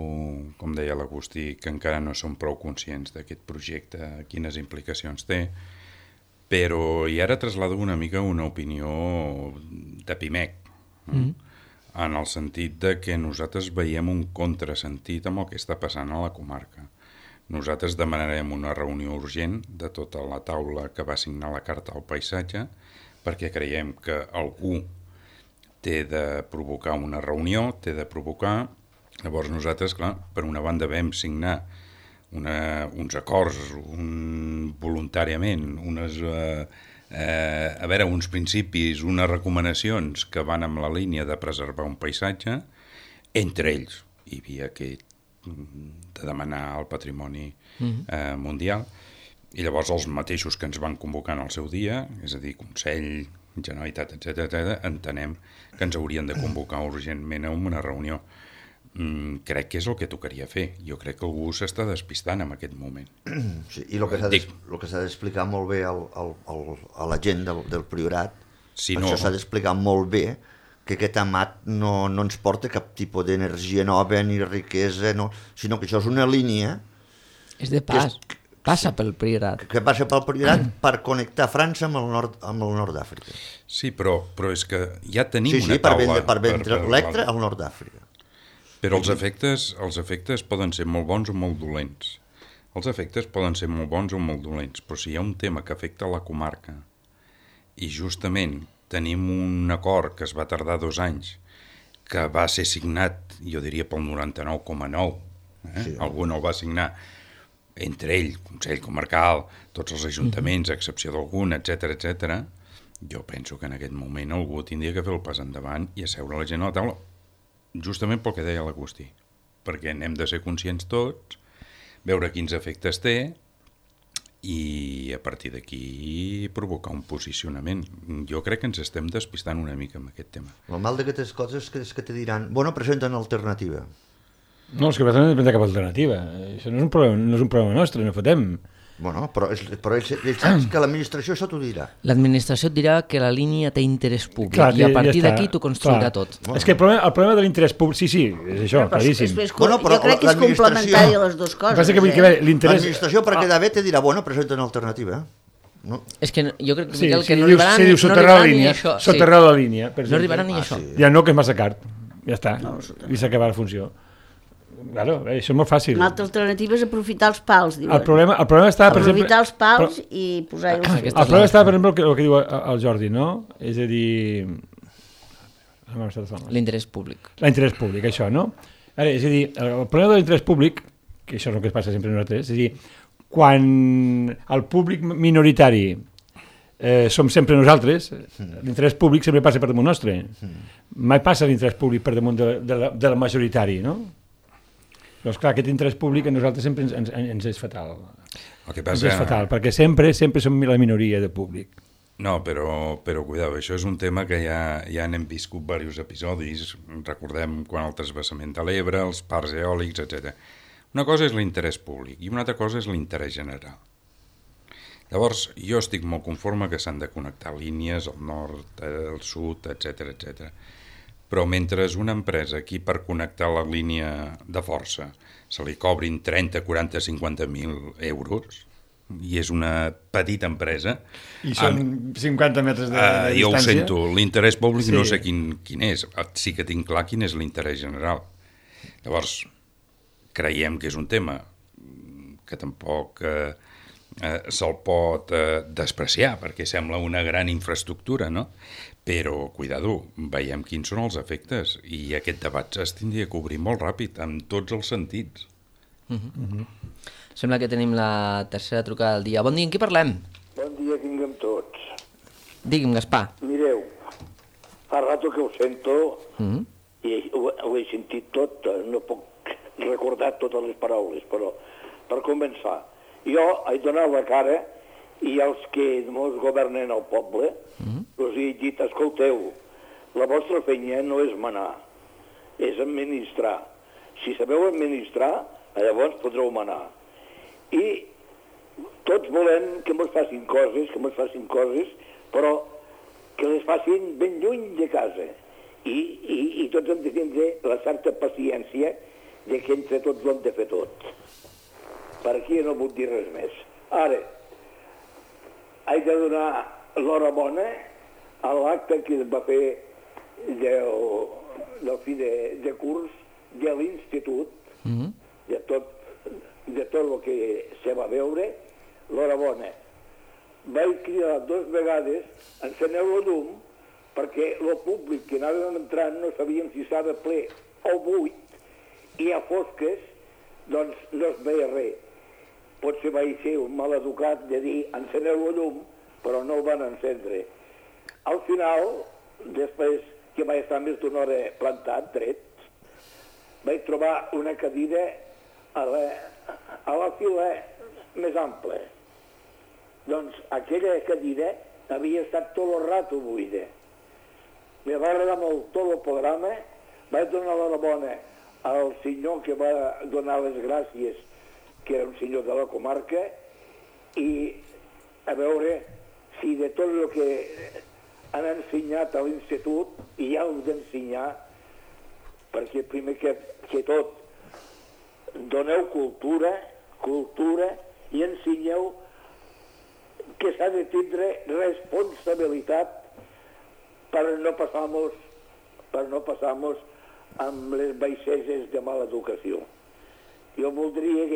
E: com deia l'Agustí, que encara no som prou conscients d'aquest projecte, quines implicacions té, però i ara traslado una mica una opinió de Pimec, en el sentit de que nosaltres veiem un contrasentit amb el que està passant a la comarca. Nosaltres demanarem una reunió urgent de tota la taula que va signar la Carta al Paisatge perquè creiem que algú té de provocar una reunió, té de provocar. Llavors nosaltres, clar, per una banda vam signar uns acords voluntàriament, uns principis, unes recomanacions que van amb la línia de preservar un paisatge. Entre ells hi havia aquest de demanar el patrimoni mundial, i llavors els mateixos que ens van convocar en el seu dia, és a dir, Consell, Generalitat, etc., entenem que ens haurien de convocar urgentment a una reunió. Crec que és el que tocaria fer. Jo crec que algú s'està despistant en aquest moment.
C: Sí, i el que s'ha d'explicar molt bé a la gent del Priorat, això s'ha d'explicar molt bé, que aquest amat no ens porta cap tipus d'energia nova ni riquesa, sinó que això és una línia...
A: És de pas. Passa pel Priorat.
C: Que passa pel Priorat per connectar França amb el nord d'Àfrica.
E: Sí, però és que ja tenim una taula...
C: per vendre l'Electra al nord d'Àfrica.
E: Però els efectes poden ser molt bons o molt dolents. Els efectes poden ser molt bons o molt dolents, però si hi ha un tema que afecta la comarca i justament tenim un acord que es va tardar 2 anys, que va ser signat, jo diria, pel 99,9, algú no el va signar, entre ell, Consell Comarcal, tots els ajuntaments, a excepció d'algun, etc., jo penso que en aquest moment algú tindria que fer el pas endavant i asseure la gent a la taula, justament pel que deia l'Agustí, perquè n'hem de ser conscients tots, veure quins efectes té i a partir d'aquí provocar un posicionament. Jo crec que ens estem despistant una mica amb aquest tema.
C: El mal d'aquestes coses és que te diran, bueno, presenten alternativa.
D: No, és que no hem de cap alternativa. Això no és un problema nostre, no fotem.
C: Bueno, però ells saps que l'administració això t'ho dirà.
A: L'administració et dirà que la línia té interès públic.
D: Clar,
A: i a partir d'aquí tu construirà tot.
D: És que el problema de l'interès públic... Sí, és això, claríssim.
B: Jo crec que és complementari a les dues coses.
C: L'administració, per quedar bé, te dirà, bueno, presenten alternativa.
A: No. És que jo crec que no arribarà ni això.
D: Soterrar la línia.
A: No arribarà ni això.
D: Ja no, que és massa car. Ja està. I s'ha acabat la funció. Claro, això és molt fàcil.
B: Una altra alternativa és aprofitar els pals, diuen.
D: El problema està, per exemple...
B: Aprofitar els pals i posar-hi...
D: El problema està, per exemple, el que diu el Jordi, no? És a dir...
A: L'interès públic.
D: L'interès públic, això, no? Ara, és a dir, el problema de l'interès públic, que això és el que passa sempre a nosaltres, és a dir, quan el públic minoritari som sempre nosaltres, l'interès públic sempre passa per damunt nostre. Mai passa l'interès públic per damunt del majoritari, no? Doncs clar, aquest interès públic a nosaltres sempre ens és fatal.
E: El que passa...
D: Ens és fatal, perquè sempre som la minoria de públic.
E: No, però cuidao, això és un tema que ja n'hem viscut diversos episodis, recordem quan el transvasament de l'Ebre, els parcs eòlics, etc. Una cosa és l'interès públic i una altra cosa és l'interès general. Llavors, jo estic molt conforme que s'han de connectar línies al nord, al sud, etc. Però mentre una empresa aquí per connectar la línia de força se li cobrin 30, 40, 50.000 euros i és una petita empresa...
D: I són 50 metres de distància.
E: Jo ho sento, l'interès públic no sé quin és, sí que tinc clar quin és l'interès general. Llavors, creiem que és un tema que tampoc se'l pot despreciar perquè sembla una gran infraestructura, no? Però, cuidado, veiem quins són els efectes i aquest debat es tindria que obrir molt ràpid, en tots els sentits.
A: Sembla que tenim la tercera trucada del dia. Bon dia, en qui parlem?
H: Bon dia, tinguem tots.
A: Digui'm, Gaspar.
H: Mireu, fa rato que ho sento i ho he sentit tot, no puc recordar totes les paraules, però per començar, jo he donat la cara i els que ens governen el poble us he dit, escolteu, la vostra feina no és manar, és administrar. Si sabeu administrar, llavors podreu manar. I tots volem que ens facin coses, però que les facin ben lluny de casa. I tots hem de tindre la certa paciència de que entre tots ho hem de fer tot. Per aquí no vull dir res més. Ara, he de donar l'horabona a l'acte que es va fer del fi de curs de l'institut, de tot el que se va veure, l'horabona. Vaig cridar 2 vegades, enceneu el llum, perquè el públic que anàvem entrant no sabíem si estava ple o buit, i a fosques, doncs no es veia res. Potser vaig ser un mal educat de dir enceneu el llum, però no el van encendre. Al final, després que vaig estar més d'una hora plantat, dret, vaig trobar una cadira a la fila més ampla. Doncs aquella cadira havia estat tot el rato buida. Me va agradar molt tot el programa, vaig donar l'horabona al senyor que va donar les gràcies, que era un senyor de la comarca, i a veure si de tot el que han ensenyat a l'institut, i ja heu d'ensenyar, perquè primer que tot doneu cultura, i ensenyeu que s'ha de tindre responsabilitat per no passar-nos amb les baixeses de mala educació. Jo voldria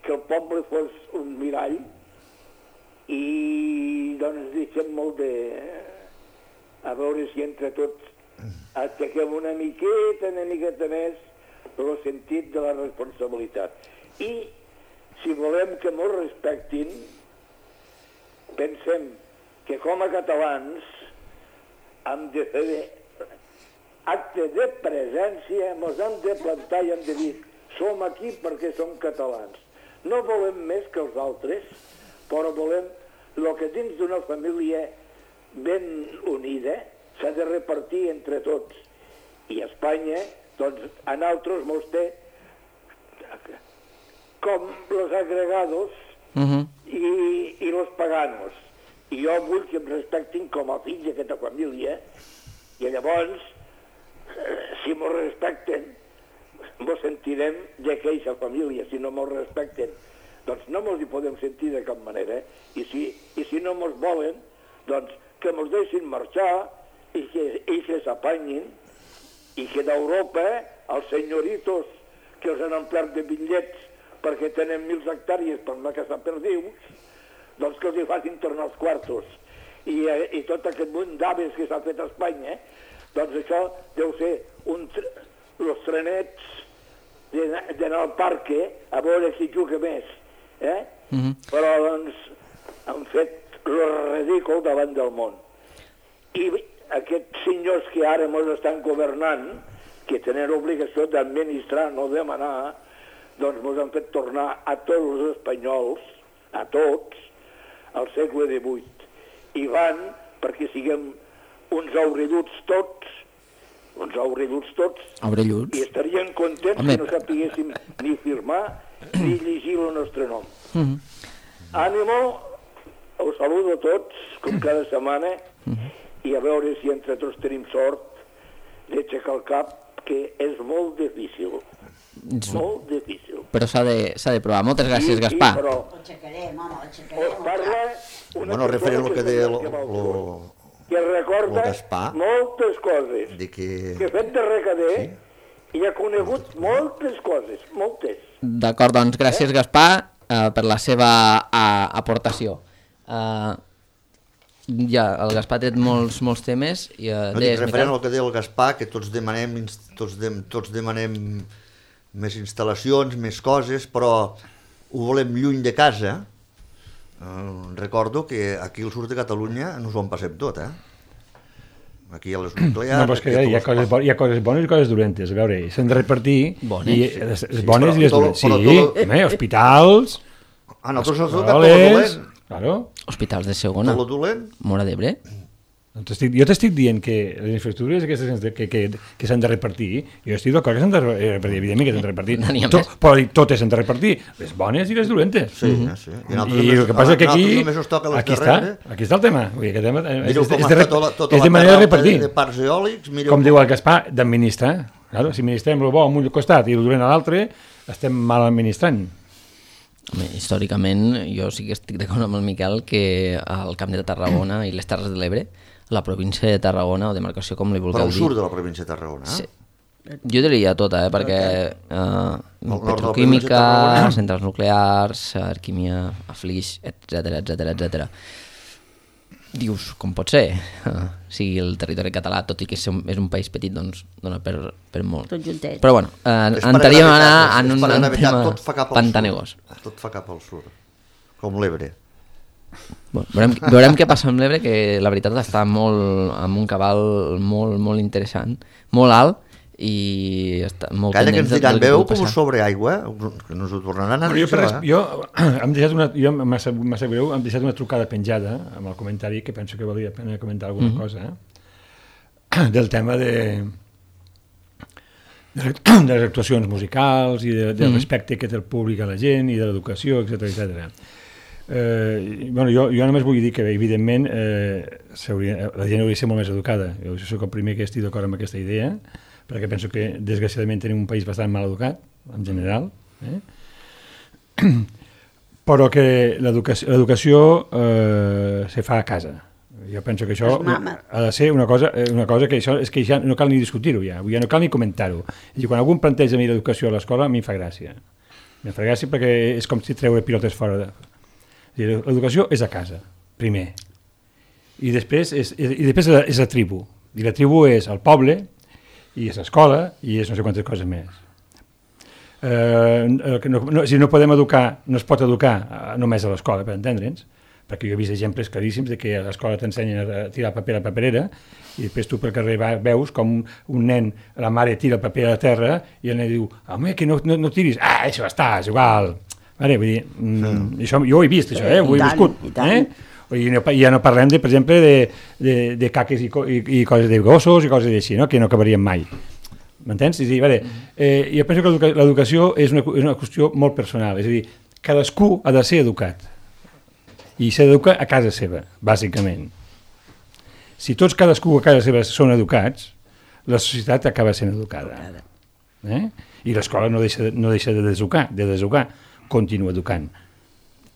H: que el poble fos un mirall i doncs deixem molt de... a veure si entre tots aixequem una miqueta més el sentit de la responsabilitat. I si volem que ens respectin, pensem que com a catalans hem de fer acte de presència, ens hem de plantar i hem de dir som aquí perquè som catalans. No volem més que els altres, però volem el que dins d'una família ben unida s'ha de repartir entre tots. I Espanya, doncs, a nosaltres mos té com los agregados i los paganos. I jo vull que em respectin com a fill d'aquesta família, i llavors, si mos respecten, mos sentirem d'aquesta família. Si no mos respecten, doncs no mos hi podem sentir de cap manera. I si no mos volen, doncs que mos deixin marxar i que s'apanyin, i que d'Europa els senyoritos que els han omplert de bitllets perquè tenen 1.000 hectàrees per anar a caçar perdius, doncs que els hi facin tornar els quartos. I tot aquest munt d'aves que s'ha fet a Espanya, doncs això deu ser els trenets d'anar al parc a veure qui juga més. Però doncs han fet el ridícul davant del món. I aquests senyors que ara ens estan governant, que tenen obligació d'administrar, no de manar, doncs ens han fet tornar a tots els espanyols, a tots, al segle XVIII. I van perquè siguem uns aurelluts tots, i estarien contents que no sapiguéssim ni firmar ni llegir el nostre nom. Ànimo, us saludo a tots, com cada setmana, i a veure si entre tots tenim sort d'aixecar el cap, que és molt difícil. Molt difícil.
A: Però s'ha de provar. Moltes gràcies, Gaspar.
B: Ho aixecarem, home, ho aixecarem.
H: Us parla una
C: referent al que deia
H: que recorda moltes coses.
C: Que
H: ha fet de recader i ha conegut moltes coses, moltes.
A: D'acord, doncs gràcies, Gaspar, per la seva aportació. Ja, el Gaspar ha tret molts temes.
C: Referent al que deia el Gaspar, que tots demanem més instal·lacions, més coses, però ho volem lluny de casa. Recordo que aquí al sud de Catalunya ens ho en passem tot, Aquí hi ha les nuclears...
D: No, però és que hi ha coses bones i coses dolentes. A veure, s'han de repartir...
A: Bones?
D: Les bones i les dolentes. Sí, hospitals...
C: nosaltres ens toca tot lo dolent.
D: Claro.
A: Hospitals de segona.
C: Tot lo dolent.
A: Móra d'Ebre.
D: Jo t'estic dient que les infraestructures aquestes que s'han de repartir, jo estic d'acord que s'han de repartir, evidentment que s'han de repartir, però totes s'han de repartir, les bones i les dolentes.
C: Sí.
D: I el que passa és que aquí està el tema. Aquest tema és de manera de repartir.
C: De parcs eòlics,
D: com diu el Gaspar, d'administrar. Si administrem el bo a un costat i el dolent a l'altre, estem mal administrant.
A: Històricament, jo sí que estic d'acord amb el Miquel que al Camp de Tarragona i les Terres de l'Ebre, la província de Tarragona, o demarcació com li vulgueu dir...
C: Però al sud de la província de Tarragona,
A: Sí. Jo diria tota, perquè petroquímica, centrals nuclears, Arquímia, Flix, etc. Dius, com pot ser? Si el territori català, tot i que és un país petit, doncs dona per molt.
B: Tot juntet.
A: Però bueno, entraríem a anar en un tema pantanegós.
C: Tot fa cap al sud, com l'Ebre.
A: Bueno, veurem què passa amb l'Ebre, que la veritat està amb un cabal molt interessant, molt alt, i està molt
C: Calla, que ens diran, veu com sobre aigua, que no us ho tornaran a dir això,
D: Jo m'ha sap greu, hem deixat una trucada penjada amb el comentari, que penso que valia la pena comentar alguna cosa, del tema de les actuacions musicals i del respecte que té el públic a la gent i de l'educació, etc. Jo només vull dir que evidentment la gent hauria de ser molt més educada. Jo soc el primer que estic d'acord amb aquesta idea, perquè penso que desgraciadament tenim un país bastant mal educat en general, però que l'educació se fa a casa. Jo penso que això ha de ser una cosa que això és que ja no cal ni discutir-ho, ja no cal ni comentar-ho. I quan algú planteja a mi l'educació a l'escola, a mi em fa gràcia. Em fa gràcia perquè és com si treure pilotes fora de... L'educació és a casa, primer. I després és la tribu. I la tribu és el poble, i és l'escola, i és no sé quantes coses més. Si no podem educar, no es pot educar només a l'escola, per entendre'ns, perquè jo he vist exemples claríssims de que a l'escola t'ensenyen a tirar paper a la paperera i després tu pel carrer veus com un nen, la mare tira el paper a la terra i el nen diu, home, que no tiris, això està, és igual. Vull dir, això, jo ho he vist, això, ho he viscut. I ja no parlem, per exemple, de caques i coses de gossos i coses així, que no acabarien mai. M'entens? Jo penso que l'educació és una qüestió molt personal, és a dir, cadascú ha de ser educat i s'ha d'educar a casa seva, bàsicament. Si tots cadascú a casa seva són educats, la societat acaba sent educada. I l'escola no deixa de deseducar, continua educant.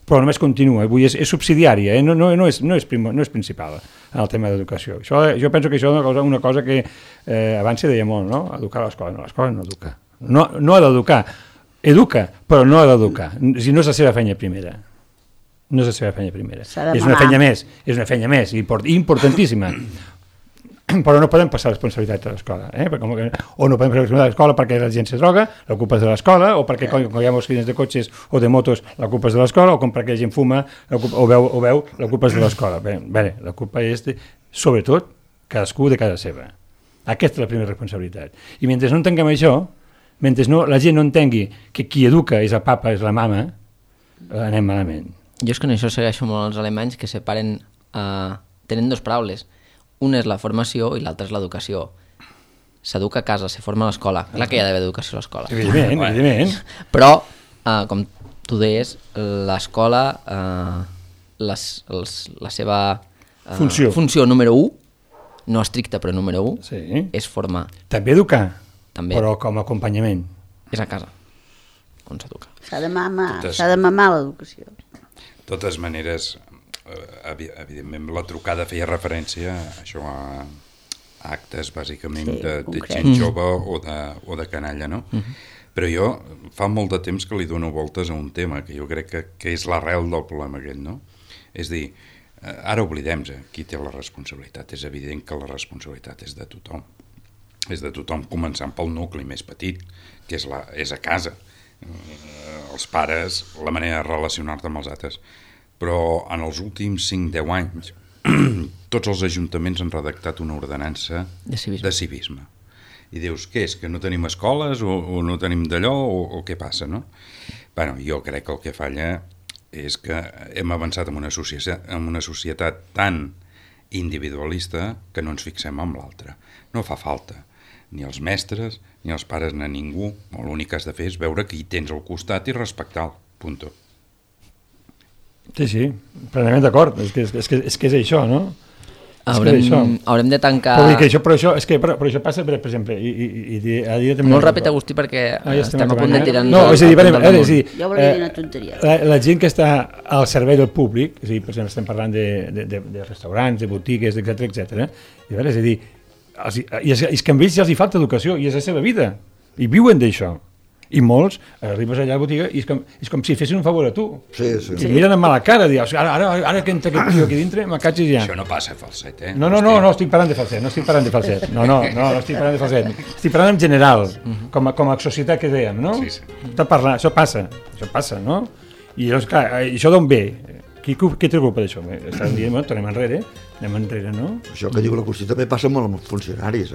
D: Però només continua, és subsidiària, no és principal en el tema d'educació. Jo penso que això és una cosa que abans se deia molt, no? Educar a l'escola. No, l'escola no educa. No ha d'educar. Educa, però no ha d'educar. Si no és la seva feina primera. No és la seva feina primera. És una feina més, importantíssima. Però no podem passar responsabilitat a l'escola, o no podem passar responsabilitat a l'escola perquè la gent se droga, la culpa és de l'escola, o perquè quan hi ha accidents de cotxes o de motos, la culpa és de l'escola, o com perquè la gent fuma o veu, la culpa és de l'escola. Bé, la culpa és, sobretot, cadascú de casa seva. Aquesta és la primera responsabilitat. I mentre no entenguem això, mentre la gent no entengui que qui educa és el papa, és la mama, anem malament.
A: Jo és que en això segueixo molt els alemanys que separen, tenen dues paraules. Una és la formació i l'altra és l'educació. S'educa a casa, se forma a l'escola. Clar que hi ha d'haver educació a l'escola.
D: Evidentment.
A: Però, com tu deies, l'escola, la seva funció número 1, no estricta però número 1, és formar.
D: També educar, però com a acompanyament.
A: És a casa on s'educa.
B: S'ha de mamar l'educació.
E: De totes maneres, evidentment la trucada feia referència a això, a actes bàsicament de gent jove o de canalla, no? Però jo fa molt de temps que li dono voltes a un tema que jo crec que és l'arrel del problema aquest, no? És dir, ara oblidem-se qui té la responsabilitat. És evident que la responsabilitat és de tothom. És de tothom, començant pel nucli més petit, que és a casa. Els pares, la manera de relacionar-te amb els altres. Però en els últims 5-10 anys tots els ajuntaments han redactat una ordenança
A: De civisme.
E: de civisme. I dius, què és, que no tenim escoles o no tenim d'allò o què passa, no? Bueno, jo crec que el que falla és que hem avançat en una societat tan individualista que no ens fixem en l'altre. No fa falta ni els mestres, ni els pares, ni ningú. L'únic que has de fer és veure qui tens al costat i respectar-lo. Punto.
D: Sí, plenament d'acord. És que és això, no?
A: Haurem de tancar...
D: Però això passa, per exemple,
A: molt ràpid, Agustí, perquè estem a punt de tirar...
D: No, és a dir,
B: jo volia dir una tonteria.
D: La gent que està al servei del públic, és a dir, per exemple, estem parlant de restaurants, de botigues, etc. És a dir, és que a ells ja els hi falta educació i és la seva vida, i viuen d'això. I molts arribes allà a la botiga i és com si fessin un favor a tu.
C: Sí.
D: I miren amb mala cara, dius, ara que entra aquest tio aquí dintre, m'acatxis ja.
E: Això no passa, Falset, eh?
D: No estic parlant de falset, No estic parlant de falset. Estic parlant en general, com a societat que dèiem, no?
E: Sí.
D: Això passa, no? I llavors, clar, això d'on ve? Qui té culpa d'això? Estan dient, tornem enrere, no?
C: Això que diu la Constitució també passa molt amb els funcionaris,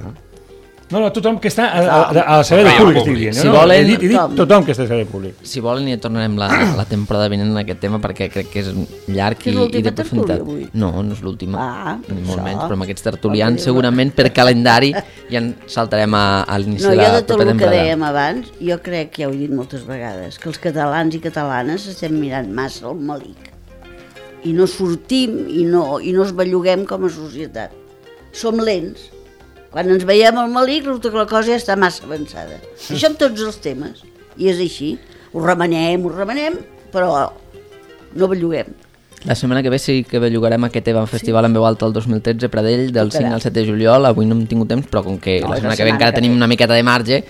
D: No, tothom que està al servei del públic, estic dient.
A: Si volen...
D: He dit tothom que està al servei del públic.
A: Si volen, ja tornarem la temporada vinent en aquest tema, perquè crec que és llarg i de profunditat. No és l'última, ni molt menys, però amb aquests tertulians segurament per calendari ja en saltarem a l'inici de la propera temporada.
B: Jo de tot el que dèiem abans, jo crec que ja ho he dit moltes vegades, que els catalans i catalanes estem mirant massa el malic. I no sortim i no es belluguem com a societat. Som lents. Quan ens veiem al malic, resulta que la cosa ja està massa avançada. Això amb tots els temes. I és així. Ho remenem, però no belluguem.
A: La setmana que ve sí que bellugarem aquest Evan Festival en veu alta el 2013 Pradell, del 5 al 7 de juliol. Avui no hem tingut temps, però com que la setmana que ve encara tenim una miqueta de marge,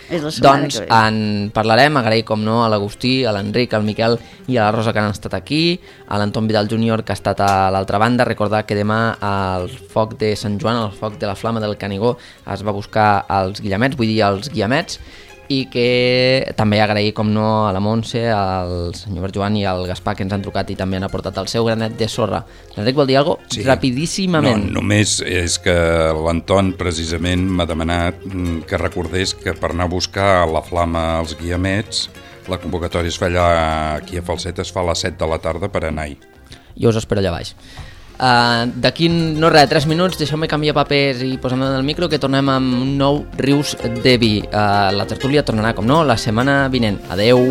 A: doncs en parlarem. Agrair, com no, a l'Agustí, a l'Enric, al Miquel i a la Rosa que han estat aquí, a l'Anton Vidal Júnior que ha estat a l'altra banda. Recordar que demà al foc de Sant Joan, al foc de la Flama del Canigó, es va buscar els guillamets, vull dir els guiamets, i que també agrair, com no, a la Montse, al senyor Joan i al Gaspar que ens han trucat i també han aportat el seu granet de sorra. L'Enric vol dir alguna cosa? Sí. Rapidíssimament.
E: No, només és que l'Anton precisament m'ha demanat que recordés que per anar a buscar la Flama als guiamets, la convocatòria es fa allà, aquí a Falset es fa a les 7 de la tarda per anar-hi.
A: Jo us espero allà baix. D'aquí, no res, 3 minuts, deixeu-me canviar papers i posem en el micro, que tornem amb un nou Rius de Vi. La tertúlia tornarà, com no, la setmana vinent. Adeu!